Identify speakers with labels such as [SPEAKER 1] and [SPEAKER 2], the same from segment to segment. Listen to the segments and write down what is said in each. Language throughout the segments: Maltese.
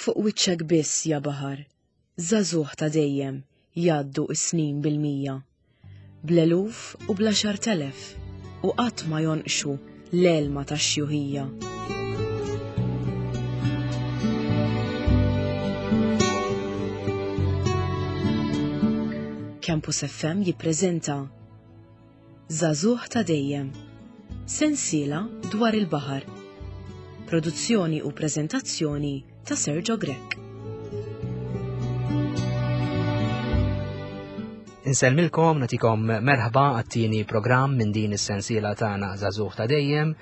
[SPEAKER 1] Fuq wiċċek biss, ja baħar, żagħżugħ ta' dejjem, jgħaddu s-snin bil-mija. Bl-eluf u bl-għaxart'elef, u qatt ma jonqxu l-għelma tax-xjuħija. Campus FM jippreżenta Żagħżugħ ta' Dejjem, sensiela dwar il-baħar. Produzzjoni u preżentazzjoni ta' Sergio Grech.
[SPEAKER 2] Insellmilkom, natikom merħba għat-tieni programm minn din is-sensiela tagħna Żagħżugħ ta' Dejjem.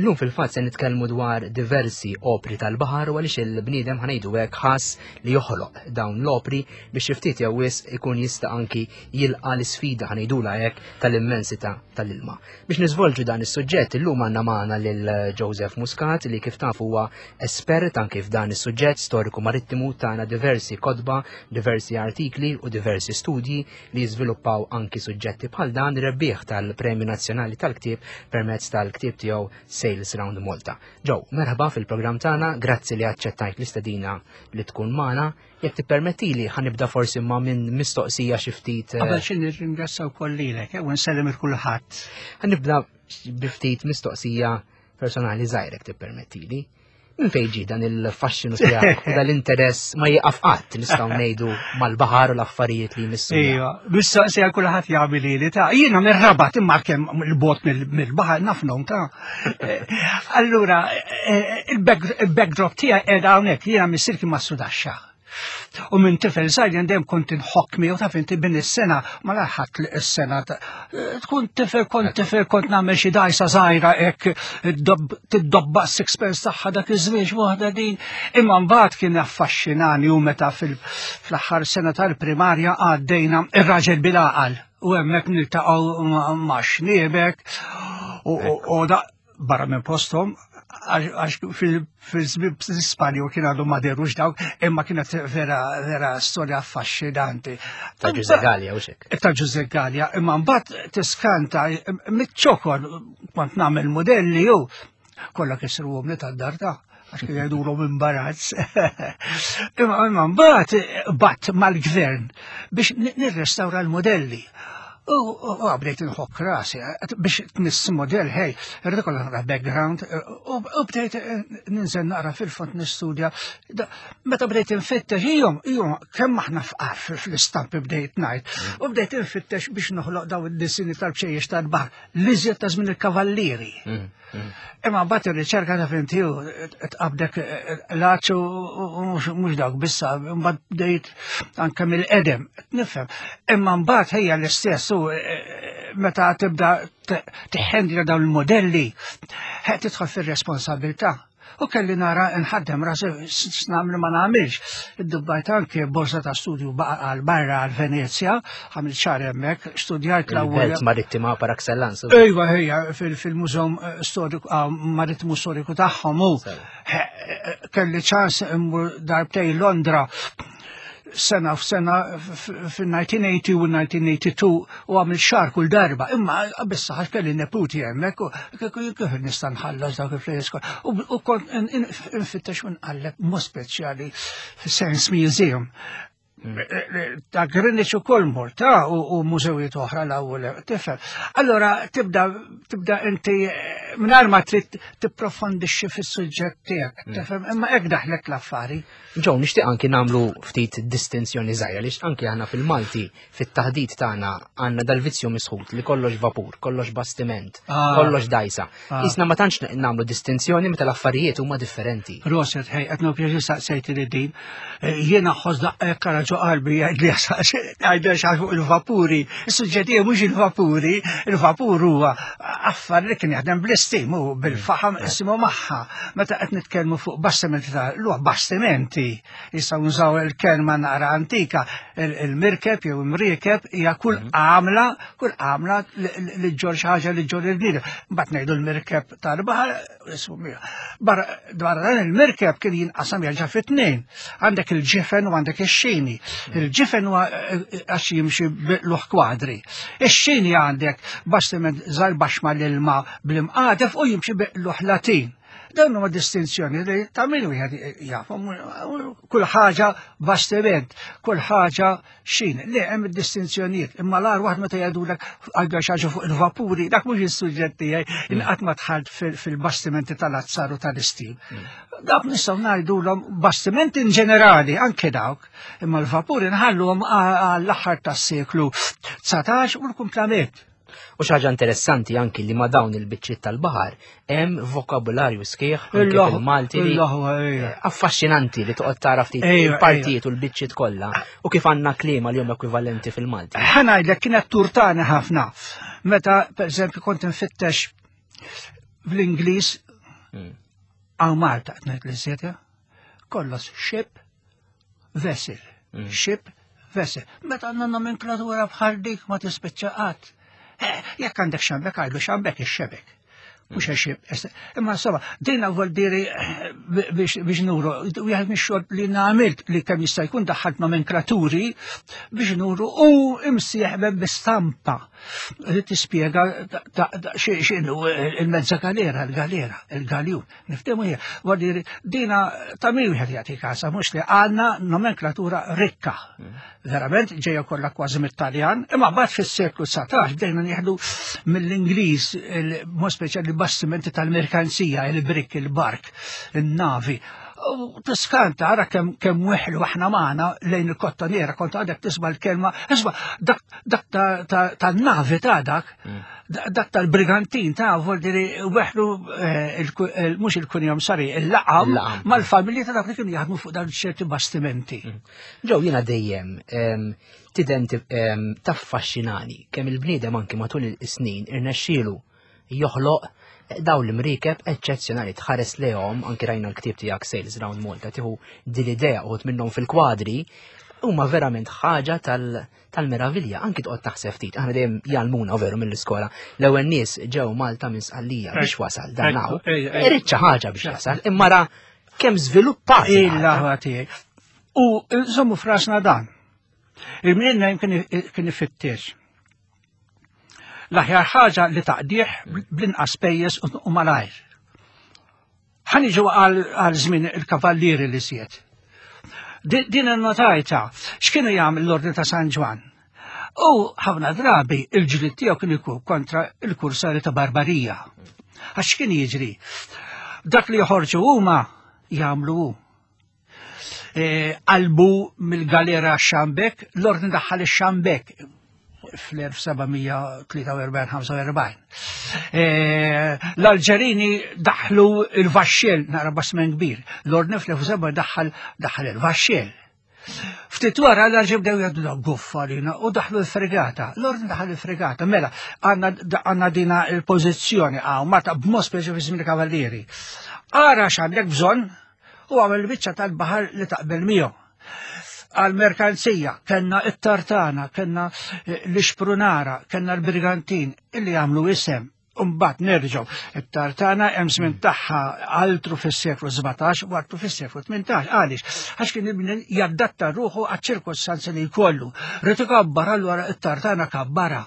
[SPEAKER 2] Illum fil-fatt se nitkellmu dwar diversi opri tal-baħar u għaliex il-bniedem ħanejdu hekk ħass li joħloq dawn l-opri biex xi ftit jew wisq ikun jista' anki jilqa' l-isfida ħanejdula hekk tal-immensità tal-ilma. Biex niżvolġu dan is-suġġett illum għandna magħna lil Joseph Muscat li kif tafu huwa espert anki f'dan is-suġġett storiku marittimu tagħna diversi kotba, diversi artikli u diversi studji li jiżviluppaw anki suġġetti bħal dan rebbieħ tal-Premju Nazzjonali tal-Ktieb permezz tal-ktieb tiegħu Sales Round Malta. Ġew, merħba fil-programm tagħna, grazzi li aċċettajt l-istedina li tkun magħna. Jekk tippermettili ħanibda forsi ma' minn mistoqsija xi ftit.
[SPEAKER 3] Eh, Qabel xi nirringrazzja wkoll lilek, eh, u nsellem il kulħadd.
[SPEAKER 2] Ħanibda bi ftit mistoqsija personali żgħirek tippermettili. Minn fejn ġie dan il-faxxinu tiegħek u dal-interess ma jieqaf qatt nistgħu ngħidu mal-baħar u l-affarijiet li jmissu.
[SPEAKER 3] Ejja, mistoqsija kulħadd jagħmel li ta' jiena mir-rabat imma kemm il-bot mill-baħar nafnhom ta' eh, Allura eh, il-backdrop tiegħi qiegħda hawnhekk jiena missier kien ma' sudaxxa. U minn tifel żgħir jien dejjem kont inħokk miegħu taf inti bin is-sena ma laħat li s-sena tkun tifel kont tifel kont nagħmel xi dajsa żgħira hekk tiddobba sixpence tagħha dak iż-żmien waħda din. Imma mbagħad kien affaxxinani u meta fl-aħħar sena tal-primarja għaddejna ir-raġel bil-għaqal u hemmhekk niltaqgħu ma' xniebek u barra minn posthom għax fil-Spanju kien għadu ma derux dawk, imma kienet vera vera storja affaxxinanti.
[SPEAKER 2] Ta' Ġuże Gallia u xek.
[SPEAKER 3] Ta' Ġuże Gallia, imma mbagħad tiskanta mit-ċokor kont nagħmel modelli u kollha kisru li tad-dar ta' għax kien jgħidulhom imbarazz. Imma mbagħad bat mal-gvern biex nirrestawra l-modelli. U bdejt nħokk rasi, biex tniss model, hej, rrid ikollha naqra background, u bdejt eh, ninżel naqra fil-fond nistudja. Meta bdejt infittex, ijom, ijom, kemm aħna fqar fl-istampi bdejt ngħid, u bdejt infittex biex noħloq daw id-disini tal-bċejjex tal-baħar, l-iżjed ta' żmien il-kavallieri. Mm. Imma mbagħad ir-riċerka ta' fintiju tqabdek eh, l-għaċ u mhux dawk bissa, mbagħad bdejt anke mill-qedem, nifhem. Imma mbagħad ħejja l-istess u eh, meta tibda tiħendra dawn il-modelli, tidħol fir-responsabilità. U kelli nara nħaddem rasi x'nagħmel ma nagħmilx. Iddubbajt anke borsa ta' studju għal barra għal Venezja, għamil xahar hemmhekk, studjajt
[SPEAKER 2] l-ewwel. Belt marittima par excellence.
[SPEAKER 3] Ejwa ejja fil-mużew eh, storiku ah, marittimu storiku tagħhom u eh, kelli ċans immur darbtej Londra sena f'sena fil-1980 u 1982 u għamil xar kull darba. Imma bissa ħax kelli neputi hemmhekk u kif nista' nħallas dawk il-flejjes U kont infittex u nqalleb mod speċjali Science Museum. Mm. Ta' Greenwich u kol mort, ta' u mużewijiet oħra l-ewwel tifhem. Allora tibda tibda inti mingħajr ma trid tipprofondixxi fis-suġġett tiegħek, mm. tifhem, imma hekk daħlek l-affari.
[SPEAKER 2] Ġew, nixtieq anki nagħmlu ftit distinzjoni żgħira għaliex anki aħna fil-Malti fit-taħdit tagħna għandna dal-vizzju misħut li kollox vapur, kollox bastiment, ah. kollox dajsa. Ah. Isna ma tantx nagħmlu distinzjoni meta l-affarijiet huma differenti.
[SPEAKER 3] Roset, ħej, qed pjaċir saqsejt li din. Eh, jiena ħoss daqqa kara ġo qalbi jgħid li għajdha xi fuq il-vapuri. Is-suġġett mhux il-vapuri, il-vapur huwa affar li kien jaħdem bl-istim u bil-faħam isimu magħha. Meta qed nitkellmu fuq bastimenti ta' luħ bastimenti, jistgħu nużaw il-kelma naqra antika, il-mirkeb jew imriekeb hija kull mhm. għamla, kull għamla li ġġor xi ħaġa li ġġor il-bniedem. Mbagħad ngħidu l-mirkeb tal-baħar Barra dan il-mirkeb kien jinqasam jerġa' fit-tnejn. Għandek il-ġifen u għandek ix-xini. Il-ġifen huwa eh, għax jimxi luħ kwadri. Ix-xini għandek bastiment żgħar baxx mal-ilma bl-imqadef u jimxi luħ latin. Dawn huma distinzjoni li ta' min wieħed jafhom kull ħaġa bastiment, kull ħaġa xin. Le hemm id-distinzjonijiet, imma l-għar waħd meta jgħidulek għadha xi ħaġa fuq il-vapuri, dak mhux is-suġġett tiegħi, mm. inqatt ma dħalt fil-bastimenti tal-azzar u tal-istim. Mm. Dawk nistgħu ngħidulhom bastimenti in ġenerali, anke dawk, imma l-vapuri nħalluhom għall-aħħar tas-seklu 19 u l-kumplament.
[SPEAKER 2] U xi ħaġa interessanti anki li ma' dawn il-biċċiet tal-baħar hemm vokabularju sħiħ anke fil-Malti li affaxxinanti li toqgħod tara ftit il-partijiet u l-biċċiet kollha u kif għandna kliema li huma ekwivalenti fil-Malti.
[SPEAKER 3] Ħa ngħidlek kienet turtani ħafna. Meta pereżempju kont infittex bl-Ingliż hmm. għaw Malta qed ngħid l kollox ship vessel, mm. ship vessel. Meta għandna nomenklatura bħal dik ma tispiċċa qatt. Eh, jekk għandek xambek għajdu xambek ix-xebek. Mhux mm. xib. Imma insomma, dina vuol diri eh, biex nuru, wieħed mix-xogħol li nagħmilt li kemm jista' jkun daħħalt nomenklaturi biex nuru u imsieħbe bi stampa li tispjega x'inhu il-mezza galera, il-galera, il-galjun. Niftehmu hija, vuol dina ta' min wieħed jagħti kasa, mhux li għandna nomenklatura rikka. Mm. Verament ġejja kollha kważi mit-Taljan, imma mbagħad fis-seklu 19 bdejna nieħdu mill-Ingliż, mod speċjali bastimenti tal-merkanzija, il-brik, il-bark, il-navi. U tiskanta ara kemm kemm weħlu aħna magħna lejn il-kottoniera kont għadek tisma' l-kelma, isma' dak dak tan-navi ta' dak, mm. dak tal-brigantin ta' voldiri weħlu eh, mhux il-kunjom sari, il-laqam mal-familji ta' dak li kienu jaħdmu fuq dan ċerti bastimenti. Mm.
[SPEAKER 2] Ġew jiena dejjem tidenti taffaxxinani kemm il-bniedem anki matul is-snin irnexxielu joħloq dawn l-imriekeb eċċezzjonali tħares lehom anki rajna l-ktieb tiegħek Sales Round Malta tieħu din l-idea uħud minnhom fil-kwadri huma verament ħaġa tal-meravilja anki toqgħod taħseb ftit aħna dejjem jgħallmuna veru mill-iskola l-ewwel nies ġew Malta minn Sqallija biex wasal dan hawn irid xi ħaġa biex jasal imma ra kemm żviluppat.
[SPEAKER 3] Il-laħwa tiegħi. U żommu frasna dan. Il-minn kien ifittex L-aħjar ħaġa li taqdih bl-inqas pejjeż u malajr. Ħa niġu għal żmien il-kavallieri li siet. Din innotajta x'kienu jagħmel l-Ordni ta' San Ġwann. U ħafna drabi il-ġlied tiegħu kien ikun kontra il-kursari ta' Barbarija. Għax kien jiġri? Dak li joħorġu huma jagħmlu hu. E, qalbu mill-galera xambek, l-ordni daħħal ix-xambek fl-1743-45. E, L-Alġerini daħlu il-vaxxel, nara basmen kbir, l-ordni fl-1700 daħħal daħħal il-vaxxel. Ftit wara l-arġi bdew jgħidu da guffa lina u daħlu l-fregata. L-ordni daħal il-fregata. Mela, għandna dina il-pożizzjoni għaw, Malta b'mod speċi fi żmien kavallieri. Ara x'għandek bżonn u għamel biċċa tal-baħar li taqbel miegħu. Għal-merkanzija, kellna it-tartana, kellna eh, l-ixprunara, kellna l-brigantin, illi għamlu isem. Umbat nerġgħu, it-tartana hemm żmien tagħha altru fis-seklu 17 u altru fis-seklu 18. Għaliex? Għax kien ibni jaddatta ruħu għaċ-ċirkostanzi li jkollu. Rid ikabbar allura it-tartana kabbara.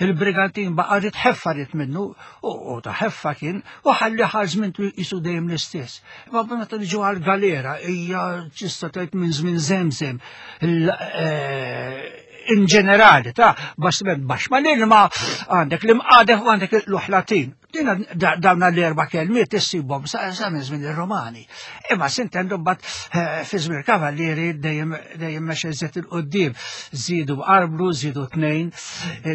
[SPEAKER 3] Il-brigantin baqa' rid ħeffa rid minnu u ta' ħeffa kien u ħalli żmien jisu dejjem l-istess. Imma meta niġu għal-galera hija ċista tgħid minn żmien żemżem eh, in ġenerali ta' bastiment baxx ma l-ilma għandek l-imqadef u għandek l-uħlatin. Dina dawna l-erba' kelmiet issibhom sa minn żmien ir-Romani. Imma sintendu mbagħad eh, fi żmien kavallieri dejjem dejjem mexa iżjed il-qudiem. Żiedu arblu, żiedu tnejn,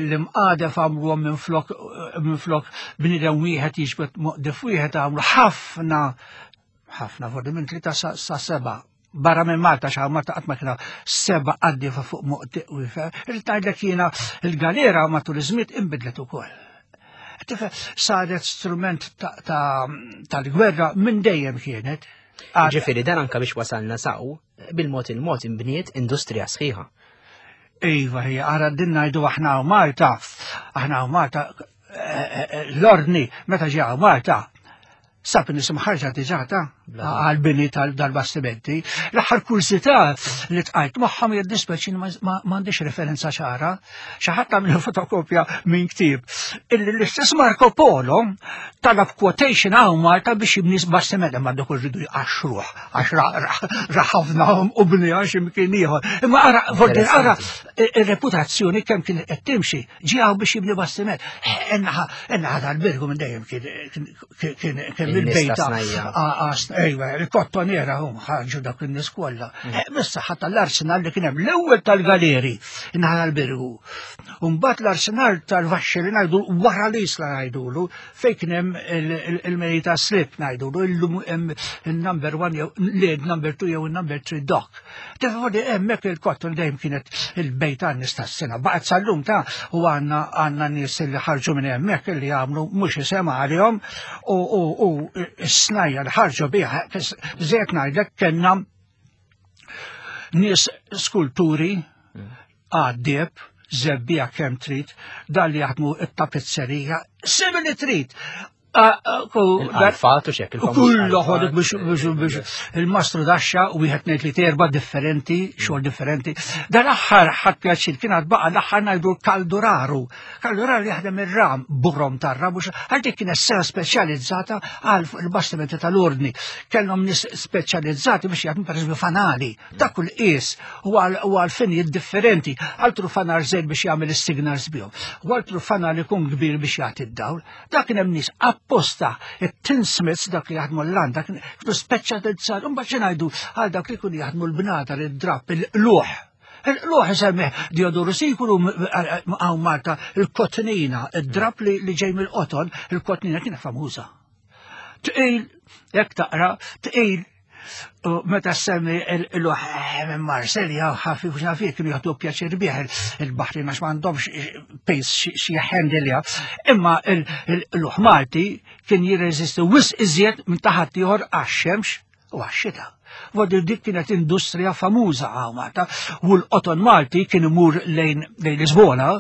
[SPEAKER 3] l-imqadef għamluhom minn flok minn flok bniedem wieħed jiġbed moqdef wieħed għamlu ħafna ħafna forsi minn tlieta sa seba' barra minn Malta xaw Malta qatt ma kienu seba' qaddifa fuq moqdiq wieħed. Irrid ngħidlek jiena il-galera matul iż-żmien inbidlet ukoll. Tifhem saret strument tal-gwerra minn dejjem kienet.
[SPEAKER 2] Ġifieri dan anka biex wasalna saw, bil-mod il-mod inbniet industrija sħiħa.
[SPEAKER 3] Iva, hija ara din ngħidu aħna u Malta, aħna u Malta eh, eh, eh, l-ordni meta ġew Malta sab nies imħarġa diġà ta' għal-bini tal-bastimenti. L-aħħar kursità li tqajt magħhom jiddispeċi m'għandix referenza ċara. Xi ħadd għamlu fotokopja minn ktieb. Illi l-istess Marco Polo talab quotation hawn Malta biex jibni bastiment imma dak irridu jqaxxruh għax raħafna u bni għax imkien ieħor. Imma ara, ara ir-reputazzjoni kemm kien qed timxi ġie hawn biex jibni bastiment. Ennaħa tal-birgu minn dejjem kien kien il-bejta. Ejwa, il-kottoniera hum ħarġu dak in-nies kollha. Mm. Eh, Bis-saħħa tal-arsenal li kien hemm l-ewwel tal-galeri naħa l-birgu. Mbagħad l-arsenal tal-vaxxi li ngħidu wara l-isla ngħidulu fejn kien hemm il-merita slip ngħidulu illum hemm il-number one jew l number two jew il-number three dock. Tifodi hemmhekk il-kotton dejjem kienet il-bejt għan-nies tas-sena. Baqgħet sal-lum ta' u għandna għandna nies li ħarġu minn hemmhekk li għamlu mhux isem għalihom u s-snajja li ħarġu biha żejt ngħidlek kellna nies skulturi għaddieb, zebbija kemm trid, dan li jaħdmu it-tapizzerija, semi li trid.
[SPEAKER 2] Għalfat u xek.
[SPEAKER 3] Kullu ħodik biex biex il-mastru daxxa u wieħed ngħid li terba differenti, xogħol differenti. Dan aħħar ħadd pjaċir kien għad baqa' l-aħħar ngħidu kalduraru. Kalduraru jaħdem ir-ram, burrom tar-ram, għal dik kienet sena speċjalizzata għal fuq il-bastimenti tal-ordni. Kellhom nies speċjalizzati biex jaħdmu pereżempju fanali. Dak kull qies u għal finijiet differenti. Altru fanar żejt biex jagħmel is-signals bihom. U altru fanar ikun kbir biex jagħti d-dawl. Dak kien hemm nies apposta it-tinsmiths dak li jaħdmu l-landa kienu speċjalizzati. Imbagħad xi ngħidu għal dak li jkunu jaħdmu l-bnadar, id-drapp, il-qluħ. Il-qluħ isemmih Diodoru Sikulu hawn Malta il-kotnina, id-drapp li ġej mill-qoton, il-kotnina kienet famuża. Tqil, jekk taqra, tqil U meta semmi il-luħ eh, minn Marselja, ħafif u xafif, kienu jgħatu pjaċir bih il-baħri għax m'għandhomx pejs xi handilja. Imma il-luħ Malti kien jirreżisti wisq iżjed minn taħat ieħor għax-xemx u għax-xita. Vodir dik kienet industrija famuża għaw Malta u l-qoton Malti kien imur lejn Lisbona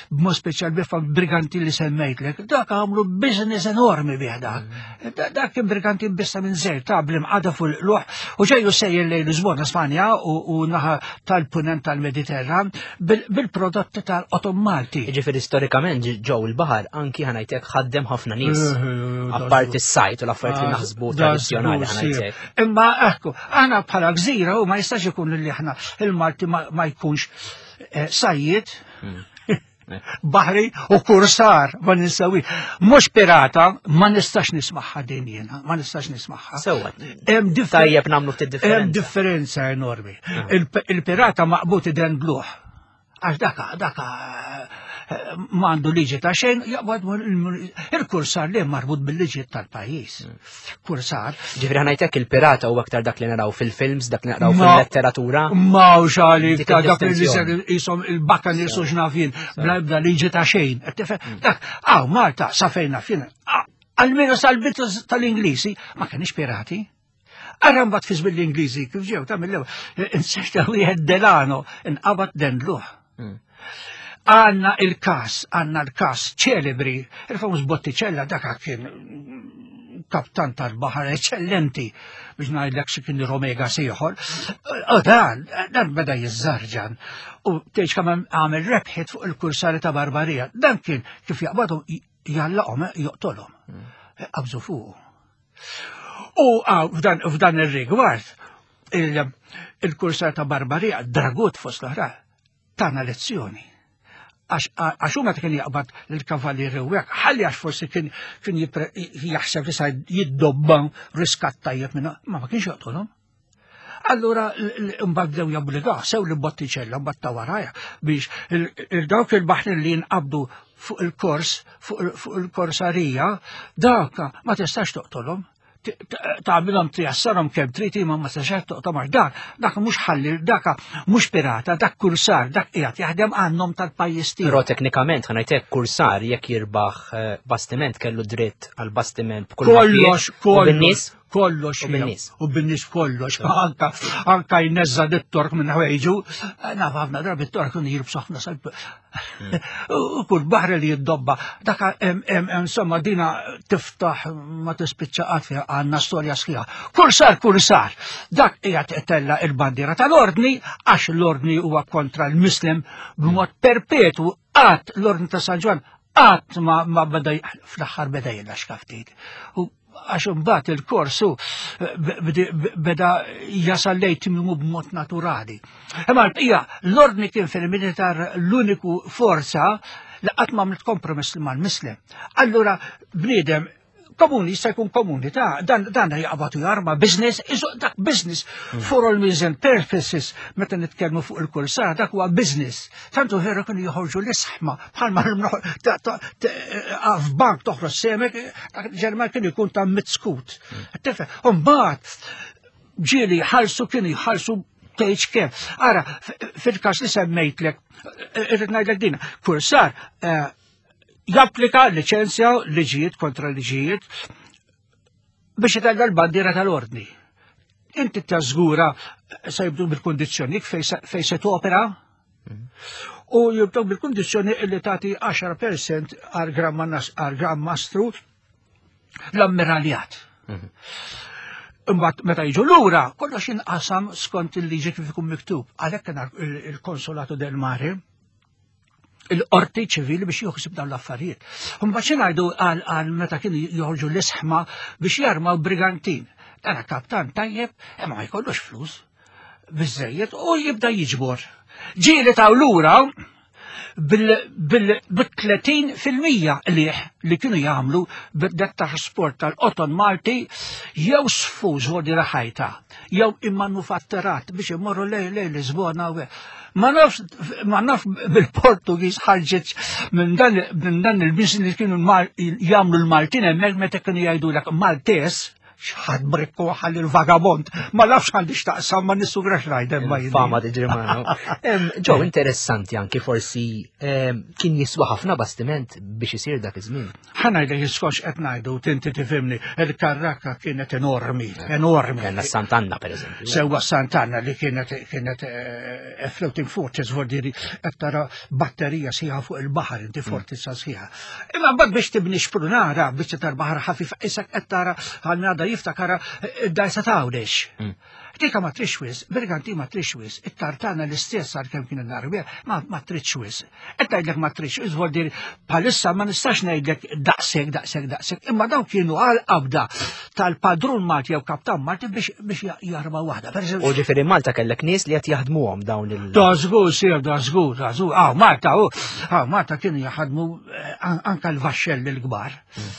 [SPEAKER 3] b'mod speċjal bifa briganti li semmejtlek, dak għamlu business enormi bih dak. Mm. Dak kien briganti bissa minn zer ta' bl-imqada fuq l-luħ u ġejju sejjer lejn Lisbona Spanja u naħa tal-punent tal-Mediterran bil-prodotti tal-qoton Malti.
[SPEAKER 2] Ġifieri storikament ġew il-baħar anki ħanajtek ħaddem ħafna nies. Eh, eh, eh, Apparti s-sajt u l-affarijiet li naħsbu tradizzjonali ħanajtek.
[SPEAKER 3] Imma ekku, aħna bħala gżira u ma jistax ikun li aħna il-Malti ma jkunx Eh, sajjiet, hmm. baħri u kursar ma ninsawi. Mhux pirata, ma nistax nismaħħa din jiena, ma nistax nismaħħa.
[SPEAKER 2] Sewwa. Tajjeb nagħmlu ftit differenza.
[SPEAKER 3] Hemm differenza enormi. Ah. Il-pirata maqbut iden bluħ. Għax daka, daka ma għandu liġi ta' xejn, jaqbad il-kursar li marbut bil-liġi tal-pajjiż. Hmm. Kursar.
[SPEAKER 2] Ġifri ħanajtek il-pirata u aktar dak li naraw fil-films, dak li naraw fil-letteratura.
[SPEAKER 3] Ma u xali, dak li jisom il-bakka nisu xnafin, bla ebda liġi ta' xejn. Hmm. Dak, għaw, Malta, sa fejna fin, għalmenu sal-bitu tal-Inglisi, ma kienx pirati. Ara mbagħad fi żmien l-Ingliżi kif ġew ta' mill-ewwel inserta wieħed Delano inqabad dendluh. Hmm. Għanna il-kas, għanna l-kas ċelebri, il-famuż Botticella dak kien kaptan tal-baħar eccellenti biex ngħidlek xi kien Romega sieħor. U dan, dan beda jiżżarġan u tgħidx kemm għamel rebħiet fuq il-kursari ta' Barbarija. Dan kien kif jaqbadhom jallaqhom joqtolhom. Hmm. Qabżu fuq. U f'dan ir-rigward il-kursar ta' Barbarija, Dragut fost l-oħra, tana lezzjoni. Għax huma kien jaqbad l-kavallieri u hekk, ħalli għax forsi kien kien jaħseb li sa jiddobba riskat tajjeb minna, ma ma kienx joqtolhom. Allura mbagħad bdew jobbligaw sew li bottiċella mbagħad ta' waraja biex il-dawk il-baħrin li jinqabdu fuq il-kors, fuq il-korsarija, dak ma tistax toqtolhom tagħmilhom tjassarhom kemm trid imma ma tistax toqtolhom għax dak dak mhux ħalli dak mhux pirata, dak kursar, dak qiegħed jaħdem għan-nom tal-pajjiż tiegħu.
[SPEAKER 2] Però teknikament ħanajtek kursar jekk jirbaħ eh, bastiment kellu dritt għal bastiment
[SPEAKER 3] b'kull kollox, kollox. Kollox.
[SPEAKER 2] U bin-nies.
[SPEAKER 3] U bin-nies kollox. Anka anka jneżża dit-tork minn ħwejġu. Naf ħafna drabi t-tork kienu jilbsu ħafna salb. U kull baħri li jiddobba. Daka insomma dina tiftaħ ma tispiċċa qatt fiha għandna storja sħiħa. Kull sar kull sar. Dak qiegħed tella il-bandiera tal-ordni għax l-ordni huwa kontra l-mislem b'mod perpetwu qatt l-ordni ta' San Ġwann qatt ma ma beda fl-aħħar beda jilaxka ftit. U għax imbagħad il-korsu beda jasal lejn tmiemu b'mod naturali. Imma l-bqija l-ordni kien fil-militar l-uniku forza li qatt ma għamlet kompromess mal-mislem. Allura bniedem komuni jista' jkun komuni ta' dan dan jaqbad u jarma business, iżu dak business for all means and purposes meta nitkellmu fuq il-kursara dak huwa business. Tantu veru kienu joħorġu l-isħma bħalma f'bank toħroġ semek, ġerman kien ikun ta' mitskut. Tifhem, u mbagħad ġieli jħallsu kienu jħallsu tgħidx kemm. Ara, fil-każ li semmejtlek, irrid ngħidlek din, kursar eh, japplika liċenzja liġijiet kontra liġijiet biex itella l-bandiera tal-ordni. Inti tażgura se jibdu bil-kondizzjoni fej se topera u jibdew bil-kondizzjoni li tagħti 10% għal Gran Mastru l-ammiraljat. Mhm. Imbagħad meta jiġu lura, kollox jinqasam skont il-liġi kif ikun miktub. Għalhekk kien il-Konsolatu del Mare il-qorti ċivili biex joħsib dawn l-affarijiet. Mbagħad xi ngħidu għal meta kienu joħorġu l-isħma biex jarmaw brigantin. Dana kaptan tajjeb, imma ma jkollux flus biżejjed u jibda jiġbor. Ġieli taw lura bil-30% liħ li kienu jagħmlu b'dak trasport tal-qoton Malti jew sfuż vodi raħajta jew immanufatturat biex imorru lej lej Lisbona u Ma nafx ma naf bil-Portugiż ħarġet minn dan minn dan il-business li kienu jagħmlu l-Maltin hemmhekk meta kienu jgħidulek Maltes xħad brikku ħalli l-vagabond. Ma nafx għandi xtaqsam ma nissugrax ngħidem ma jien.
[SPEAKER 2] Fama tiġri magħna. Ġew interessanti anki forsi kien jiswa ħafna bastiment biex isir dak iż-żmien.
[SPEAKER 3] Ħa ngħidlek iskox qed ngħidu tinti tifhimni, il-karrakka kienet enormi, enormi.
[SPEAKER 2] Kellna Sant'Anna pereżempju.
[SPEAKER 3] Sewwa Sant'Anna li kienet kienet eh, floating fortress vordiri qed tara batterija sħiħa fuq il-baħar inti mm. fortizza sħiħa. Imma mbagħad biex tibni xprunara biex tar baħar ħafif isek qed tara għal jiftakara eh, id-dajsa tawdex. Mm. Dika ma trix wis, Berganti ma trix wis, it-tartana l-istess għal kemm kien il-narbija, ma, ma trix wis. Qed ngħidlek ma trix wis, vuol dir bħalissa ma nistax ngħidlek daqshekk, daqshekk, daqshekk, imma dawn kienu għal qabda tal-padrun Malti jew kaptan Malti biex biex jarma waħda.
[SPEAKER 2] U ġifieri Malta kellek nies li qed jaħdmuhom dawn il-
[SPEAKER 3] Da żgur, sir, da żgur, da żgur. Ah, Malta, u, ah, Malta kienu jaħdmu eh, anka l-vaxxelli l-kbar. Hmm.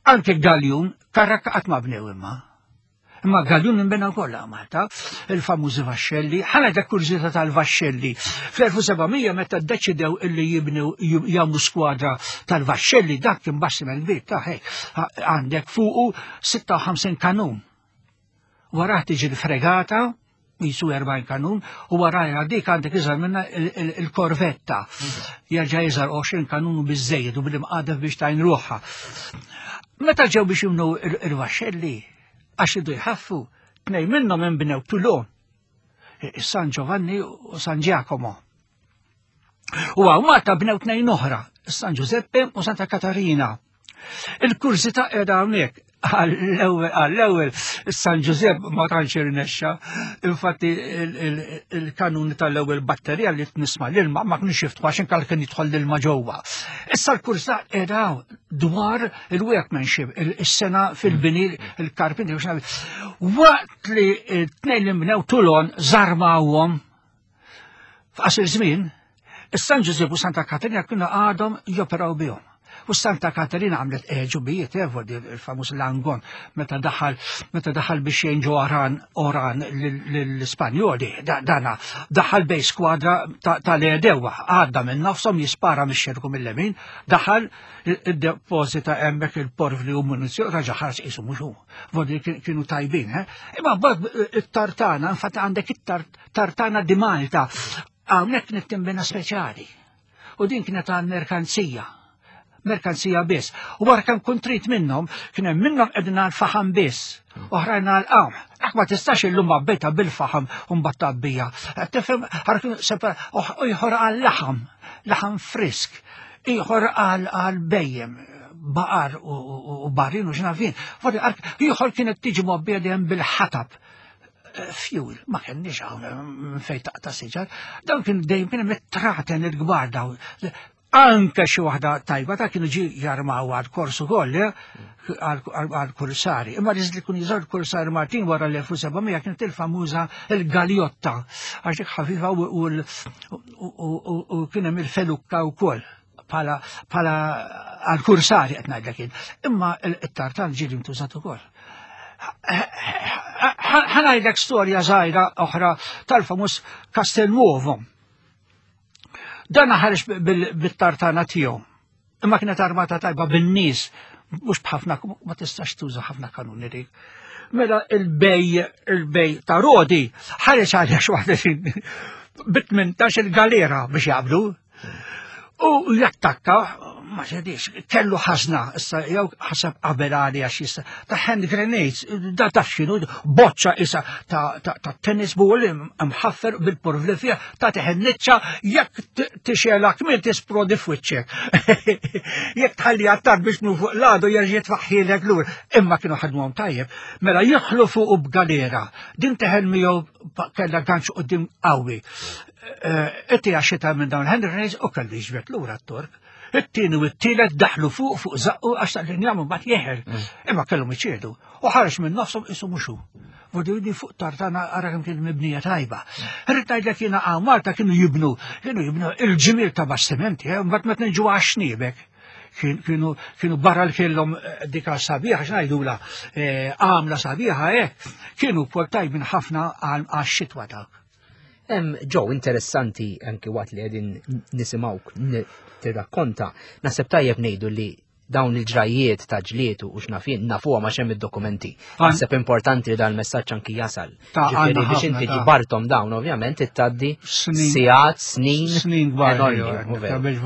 [SPEAKER 3] Anke galjun, karrakka qatt ma bnew imma. Imma galjun inbena wkoll Malta, il-famużi vaxxelli, ħana dak kurżità tal-vaxxelli. Fl-1700 meta ddeċidew illi jibnu jagħmlu skwadra tal-vaxxelli, dak kien bastiment kbir ta' hekk għandek fuqu 56 kanun. Warah tiġi l-fregata, jisu 40 kanun, u warajha dik għandek iżgħar minna il-korvetta. Jerġa' iżgħar 20 kanun u biżejjed u bil-imqadef biex tajn ruħha. Meta ġew biex jibnu il-vaxxelli, għax idu jħaffu, tnej minnhom inbnew Toulon, San Giovanni u San Giacomo. U għaw Malta bnew tnejn oħra, San Giuseppe u Santa Katarina. Il-kurżità qiegħda hawnhekk għall-ewwel San Giuseppe ma tantx irnexxa. Infatti il-kanuni tal-ewwel batterija li tnisma' l-ilma ma kienx jiftħu għax inkal kien jidħol l-ilma ġewwa. Issa l-kurżità qiegħda dwar il-workmanship, il-sena fil-bini, il-karpinti, waqt li t-tnejn li mbnew Toulon żarmawhom f'qasir żmien, is-San Ġużepp u Santa Katerina kienu għadhom joperaw bihom. U Santa Katerina għamlet eġubijiet, eh, il-famuż Langon, meta daħal meta daħal biex jgħin ġo Oran, Oran l-Ispanjoli, dana daħal bej skwadra tal-edewa, għadda minn nofshom jispara mix-xerku mill-lemin, daħal id-deposita hemmhekk il-porvli u munizzjon raġa' ħares qisu mhux hu. Vodi kienu tajbin, eh? Imma mbagħad eh, it-tartana, infatti għandek it-tartana di Malta, hawnhekk kienet timbena speċjali. U din kienet għal merkanzija merkanzija biss. U wara kemm kuntrit minnhom, kien hemm minnhom qegħdin għal faħam biss. Oħrajn għal qamħ. Dak ma tistax illum għabbejta bil-faħam u mbagħad tgħabbija. Tifhem ieħor għal laħam, laħam frisk, ieħor għal bejjem baqar u barrin u xnafin. Ieħor kienet tiġi mgħobbija dejjem bil-ħatab eh, fuel, ma kenniex hawn eh, fejn taqta' siġar, dawn kien dejjem kien hemm it-traten il-kbar dawn. Anke xi waħda tajba ta' kienu ġi jarmaw għal kors ukoll eh, għal kursari. Imma li kun jiżor kursari Martin wara l-1700 kienet il-famuża il-galjotta għax dik ħafifa u kien hemm il-felukka wkoll bħala għal kursari qed ngħidlek jien. Imma it-tartan ġieli ntużat ukoll. Ħanajdlek storja żgħira oħra tal-famuż Castelnuovo. Dan ħareġ bit-tartana tiegħu. Imma kienet armata tajba bin-nies, mhux b'ħafna ma tistax tuża ħafna kanuni dik. Mela il-bej il-bej ta' Rodi ħareġ għaliex waħda bit-18 il-galera biex jaqbdu. U jattakka, ma xedix, kellu ħazna, issa jew ħaseb qabel għali għax jista' ta' hand grenades, da taf x'inhu, boċċa isa ta' tennis ball mħaffer bil-porvli fiha, ta' teħenniċċa jekk tixelak min tisprodi f'wiċċek. Jekk tħalli għattar biex nu fuq l-għadu jerġa' jitfaħħilek lur. Imma kienu ħadmuhom tajjeb. Mela jidħlu fuq u b'galera. Din teħel miegħu kellha ganċ qudiem qawwi. Itti għax xita minn dawn il-hand grenades u kellu jiġbed lura t-Tork. It-tieni u t-tielet daħlu fuq fuq zaqqu għax tal-injam mbagħad jeħel. Mm. Imma kellhom iċedu. U ħareġ minn nofshom isu mhux hu. Vodu fuq tartana ara kemm kien mibnija tajba. Rrid ngħidlek jiena hawn Malta kienu jibnu, kienu jibnu il-ġimiel ta' bastimenti, eh, mbagħad meta niġu għax-xniebek kienu kienu barra li kellhom eh, dika sabiħa x'ngħidula eh, għamla sabiħa hekk, kienu wkoll tajbin ħafna għax-xitwa dak.
[SPEAKER 2] Hemm ġew interessanti anki waqt li qegħdin nisimgħuk tirrakkonta, naħseb tajjeb ngħidu li dawn il-ġrajiet ta' ġlied u x'nafin nafuha ma xemm id-dokumenti. Naħseb importanti li dan il-messaġġ anki jasal. Ġifieri biex inti ġbartom dawn ovvjament ittaddi sigħat, snin.
[SPEAKER 3] Snin kbar. Biex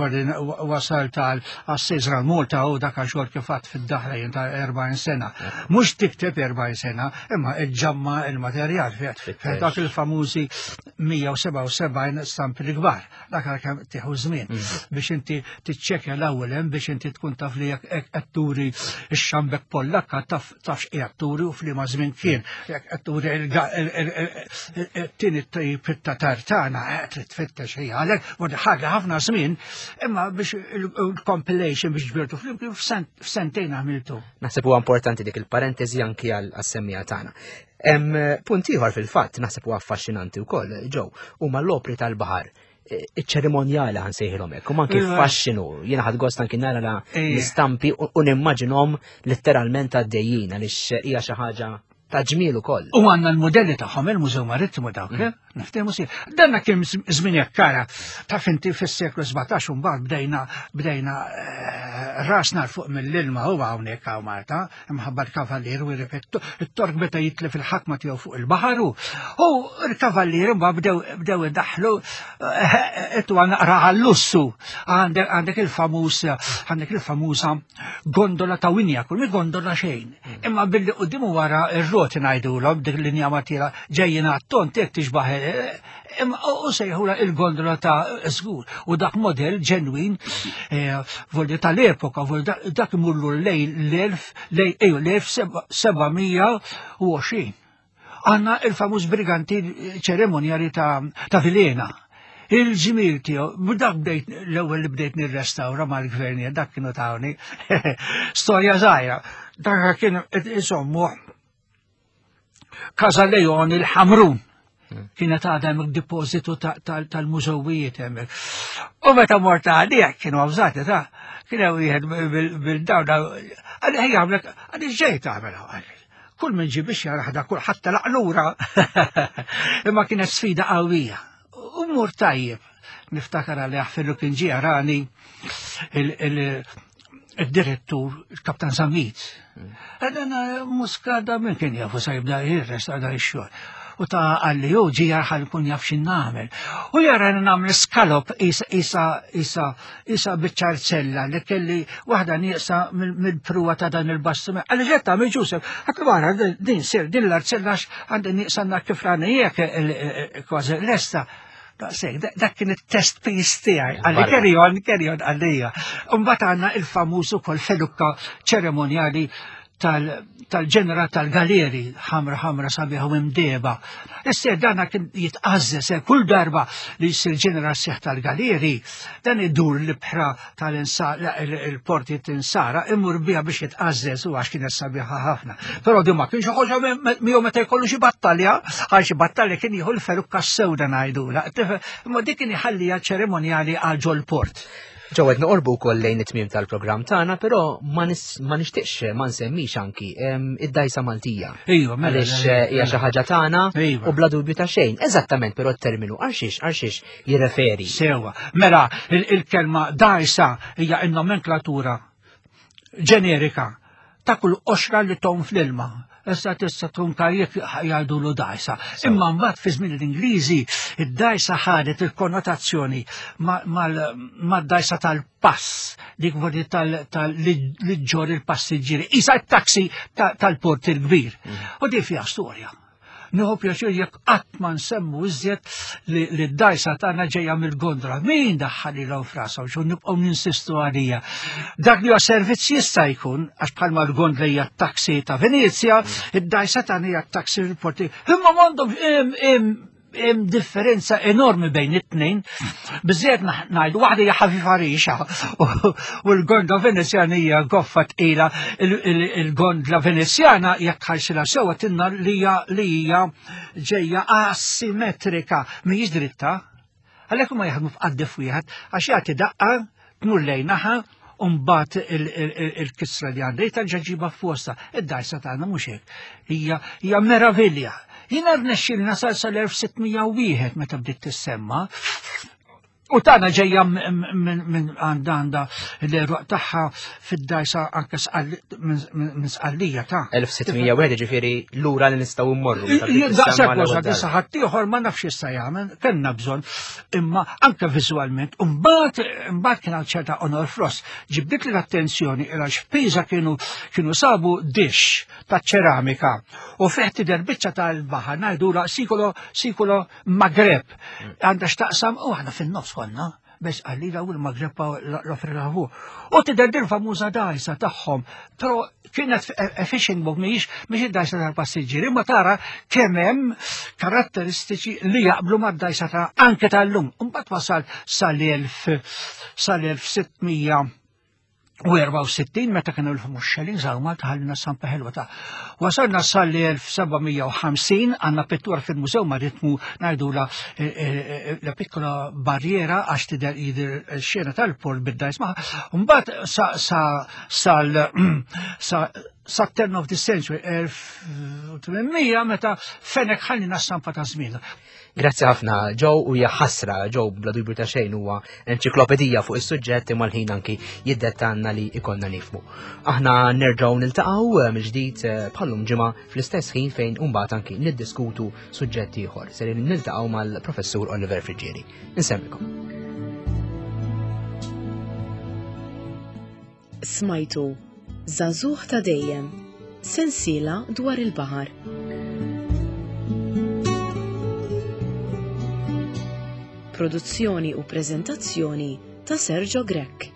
[SPEAKER 3] wasal tal Assisra Malta u dak xogħol kif għad fid-daħla jien ta' 40 sena. Mhux tikteb 40 sena, imma iġġamma il-materjal fih. Dak il-famużi 177 stampi l-kbar. Dak għal kemm tieħu żmien mm. biex inti tiċċekkja l-ewwel hemm biex inti tkun taf li jekk qed turi x-xambek Pollakka taf tafx qiegħed turi u f'liema żmien kien. Jekk qed turi it-tieni tip ta' tartana eh, trid tfittex hija għalhekk u ħaġa ħafna żmien, imma biex il-compilation biex ġbirtu flimkien f'sentejn għamiltu.
[SPEAKER 2] Naħseb huwa importanti dik il-parentesi anki għal-semmija tagħna. Punt ieħor fil-fatt naħseb huwa affaxxinanti wkoll, ġew, huma l-opri tal-baħar iċ-ċerimonjali għan sejħilhom hekk, u anki iva. faxxinu, jiena ħad gost anki nara l-istampi u nimmaġinhom letteralment għaddejjin għaliex hija xi ħaġa ta' ġmiel ukoll.
[SPEAKER 3] U għandna l-modelli tagħhom il-Mużew Marittimu dawk, mm. eh? Niftehmu si. Danna kien żmien hekk kara taf inti fis-seklu 17 u mbagħad bdejna bdejna eh, rasna fuq mill-ilma huwa hawnhekk hawn Malta, imħabba l-kavallier u jirrepettu, it-tork beta jitlef il-ħakma tiegħu fuq il-baħar u l-kavallier imma bdew bdew idaħlu ettu naqra għall-lussu għandek il-famuż għandek il-famuża gondola ta' winja, kull gondola xejn. Imma billi qudiem wara ir-roti ngħidulhom dik l-linja matira ġejjin għat-tont jekk tixbaħ Imma u sejħula il-gondola ta' żgur u dak model ġenwin eh, voldi tal-epoka, voldi dak imurlu lej l-1000 lej eju l-1720. Għanna il-famuż briganti ċeremonjali ta', ta Vilena. Il-ġimil tiegħu, dak bdejt l-ewwel li bdejt nirrestawra mal-gvern, dak kienu tawni. Storja żgħira. Dak kien insommu Casa Leon il-Ħamrun. Hmm. Kienet għadha hemm depożitu tal-mużewijiet hemmhekk. U meta mort għalih kienu avżati ta' kien hemm wieħed bil-dawn għalli ħejja għamlek għalli ġej tagħmel għalli. Kull min ġie biex jaraħ da kull ħadd laqlura. Imma kienet sfida qawwija. U mur tajjeb. Niftakar għalli fillu kien ġie rani il-direttur, il-kaptan Zammit. Għadana muskada minn kien jafu sa jibda jirresta da xogħol. u ta' għalli u ġi jarħal kun jaf xin nagħmel. U jara nagħmel skalop isa isa isa isa biċ-ċarzella li kelli waħda nieqsa mill-pruwa ta' dan il-bastiment. Għalli ġed tagħmel Ġusef, għatlu wara din sir din l-arzella għandi nieqsa kif rani jekk kważi lesta. Daqshekk, dak kien it-test piece tiegħi, għalli carry on, carry on għalija. Imbagħad għandna il-famuż ukoll felukka ċeremonjali tal-ġenera tal-galeri ħamra ħamra sabiħa u imdeba. Issa dana kien jitqażżes eh, kull darba li jsir ġenera seħ tal-galeri, dan idur l-ibħra tal-porti tinsara imur biha biex jitqażżes u għax kienet sabiħa ħafna. Però di ma kienx ħoġa miegħu meta jkollu xi battalja, għal xi battalja kien jieħu l-ferukka sewda ngħidula. Imma dik kien iħallija ċeremonjali għal ġol-port.
[SPEAKER 2] Ġew qed noqorbu wkoll lejn it-tmiem tal-programm tagħna, però ma nixtieqx ma nsemmix anki id-dajsa Maltija.
[SPEAKER 3] Iva, mela,
[SPEAKER 2] Għaliex
[SPEAKER 3] mela,
[SPEAKER 2] eh, hija xi ħaġa tagħna
[SPEAKER 3] Iva.
[SPEAKER 2] u bla dubju ta' xejn. Eżattament però t-terminu għal xiex għal xiex jirreferi.
[SPEAKER 3] Sewa. Mela, il-kelma dajsa hija n-nomenklatura ġenerika ta' kull qoxra li tom fl-ilma. Issa tista' tkun kajjek jgħidulu dajsa. Imma mbagħad fi żmien l-Ingliżi id-dajsa ħadet il-konnotazzjoni mad-dajsa tal-pass, dik voli li ġġor il-passiġġieri, isa t-taxi tal-port il-kbir. Mm. U di fiha storja. Nieħu pjaċir jekk qatt ma nsemmu iżjed li d-dajsa tagħna ġejja mill-gondra. Min daħħalilhom frashom xu nibqgħu ninsistu għalija. Dak li huwa servizz jista' jkun għax bħalma l-gondla hija t-taksi ta' Venezja, id-dajsa tagħna hija t-taksi fil-porti. Imma m'għandhom hemm differenza enormi bejn it-tnejn. Biżżejjed ngħidu waħda hija ħafifa rixa u l-gondla Venezjana hija goffa tqila il-gondla Venezjana jekk tħarsilha sewwa tinna li hija li hija ġejja asimetrika mhijiex dritta. Għalhekk huma jaħdmu f'qaddef wieħed għax jagħti daqqa tmur lejn naħa u mbagħad il-kisra li għandha terġa' ġiba f'posta. Id-dajsa tagħna mhux hekk. Hija hija meravilja. Jiena rnexxieli nasal sal-1601 meta bdiet tissemma. U tagħna ġejja minn għandha għandha l-eruq tagħha fid-dajsa anke minn sqallija ta'
[SPEAKER 2] 1601 ġifieri lura li nistgħu mmorru.
[SPEAKER 3] Daqshekk wasal issa ħaddieħor ma nafx issa jagħmel, kellna bżonn imma anke viżwalment. U mbagħad mbagħad kien hawn ċerta Honor Frost ġibdit l-attenzjoni għax f'Pisa kienu kienu sabu dix ta' ċeramika u fih tidher biċċa tal-baħar ngħidula sikolo sikolo Magreb. Għandha x'taqsam u aħna fin-nofs konna biex għalli daw il-Magreb l-Afrika fuq. U tidher din famuża dajsa tagħhom, però kienet fishing boat mhijiex mhix id-dajsa tal-passiġġieri, imma tara kemm hemm karatteristiċi li jaqblu mad-dajsa ta' anke tal-lum. Imbagħad wasal sal-1000 sal-1600 u 64 meta kienu l-muxxelin żaru Malta ħallina stampa ħelwa ta' wasalna sal-1750 għandna pittura fil-Mużew Maritmu ngħidula eh, eh, eh, la piccola barriera għax tidher jidher xena tal-port bid-dajs ma' mbagħad sa sa sal sa sa turn of the century 1800 meta fenek ħallina stampa ta' żmien.
[SPEAKER 2] Grazzi ħafna Joe u hija ħasra Joe bla dubju ta' xejn huwa enċiklopedija fuq is-suġġett imma l-ħin anki jiddettanna li ikonna nifmu. Aħna nerġgħu niltaqgħu eh, mill-ġdid eh, bħallum ġimgħa fl-istess ħin fejn imbagħad anki niddiskutu suġġett ieħor. Ser niltaqgħu mal-Professur Oliver Friggieri. Insemmikom.
[SPEAKER 1] Smajtu Żagħżugħ ta' Dejjem, sensiela dwar il-baħar. Produzzjoni u preżentazzjoni ta' Sergio Grech.